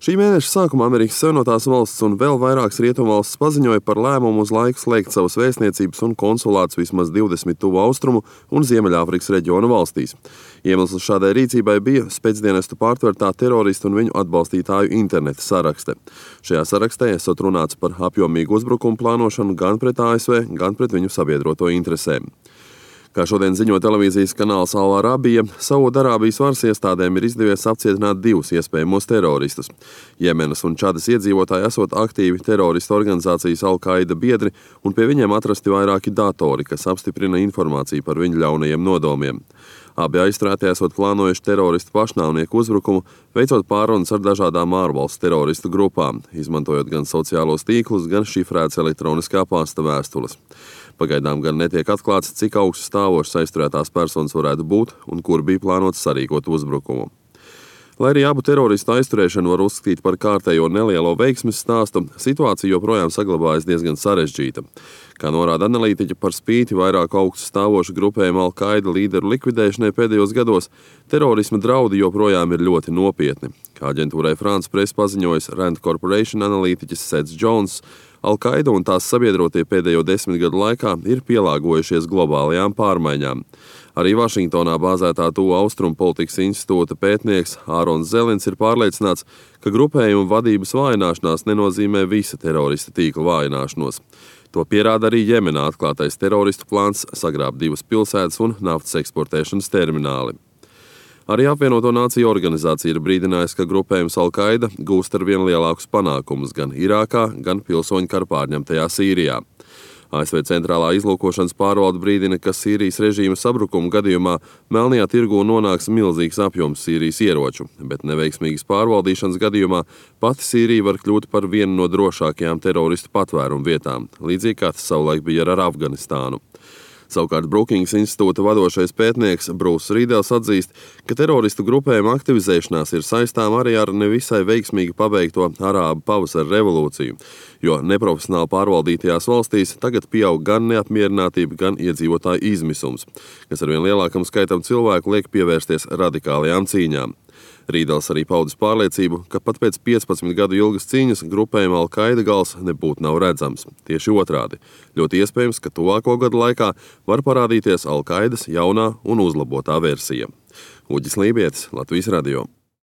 Šī mēneša sākumā Amerikas Savienotās valstis un vēl vairākas rietumvalstis paziņoja par lēmumu uz laiku slēgt savas vēstniecības un konsulātus vismaz 20 tuvu austrumu un Ziemeļāfrikas reģionu valstīs. Iemesls šādai rīcībai bija spēcdienestu pārtvertā teroristu un viņu atbalstītāju interneta sarakste. Šajā sarakstē esot runāts par apjomīgu uzbrukumu plānošanu gan pret ASV, gan pret viņu sabiedroto interesēm. Kā šodien ziņo televīzijas kanāls Al Arabija, Saudarābijas varas iestādēm ir izdevies apcietināt 2 iespējamos teroristus. Jemenas un Čadas iedzīvotāji esot aktīvi teroristu organizācijas Al-Qaida biedri, un pie viņiem atrasti vairāki datori, kas apstiprina informāciju par viņu ļaunajiem nodomiem. Abi aizturētie esot plānojuši teroristu pašnāvnieku uzbrukumu, veicot pārunas ar dažādām ārvalstu teroristu grupām, izmantojot gan sociālos tīklus, gan šifrētas elektroniskā pasta vēstules. Pagaidām gan netiek atklāts, cik augsts stāvošs aizturētās personas varētu būt un kur bija plānots sarīkot uzbrukumu. Lai arī abu teroristu aizturēšanu var uzskatīt par kārtējo nelielo veiksmes stāstu, situācija joprojām saglabājas diezgan sarežģīta. Kā norāda analītiķi, par spīti vairāk augstu stāvošu grupējumu Al-Qaida līderu likvidēšanai pēdējos gados, terorisma draudi joprojām ir ļoti nopietni. Kā aģentūrai France Press paziņojis Rand Corporation analītiķis Seth Jones, Al-Qaida un tās sabiedrotie pēdējo 10 gadu laikā ir pielāgojušies globālajām pārmaiņām. Arī Vašingtonā bāzētā Tuvu Austrumu politikas institūta pētnieks Ārons Zelins ir pārliecināts, ka grupējuma vadības vājināšanās nenozīmē visa terorista tīkla vājināšanos. To pierāda arī Jemenā atklātais teroristu plāns sagrābt 2 pilsētas un naftas eksportēšanas termināli. Arī Apvienoto Nāciju organizācija ir brīdinājusi, ka grupējums Al-Qaida gūst ar vien lielākus panākumus gan Irākā, gan pilsoņu kara pārņemtajā Sīrijā. ASV centrālā izlūkošanas pārvalde brīdina, ka Sīrijas režīma sabrukuma gadījumā melnajā tirgū nonāks milzīgs apjoms Sīrijas ieroču, bet neveiksmīgas pārvaldīšanas gadījumā pati Sīrija var kļūt par vienu no drošākajām teroristu patvērumu vietām, līdzīgi kā tas savulaik bija ar Afganistānu. Savukārt Brookings institūta vadošais pētnieks Bruce Rīdels atzīst, ka teroristu grupējuma aktivizēšanās ir saistām arī ar nevisai veiksmīgi pabeigto arābu pavasara revolūciju, jo neprofesionāli pārvaldītajās valstīs tagad pieaug gan neapmierinātība, gan iedzīvotāju izmisums, kas ar vien lielākam skaitam cilvēku liek pievērsties radikālajām cīņām. Rīdels arī paudis pārliecību, ka pat pēc 15 gadu ilgas cīņas grupējuma Al-Qaida gals nebūtu nav redzams. Tieši otrādi. Ļoti iespējams, ka tuvāko gadu laikā var parādīties Al-Qaidas jaunā un uzlabotā versija. Uģis Lībietis, Latvijas radio.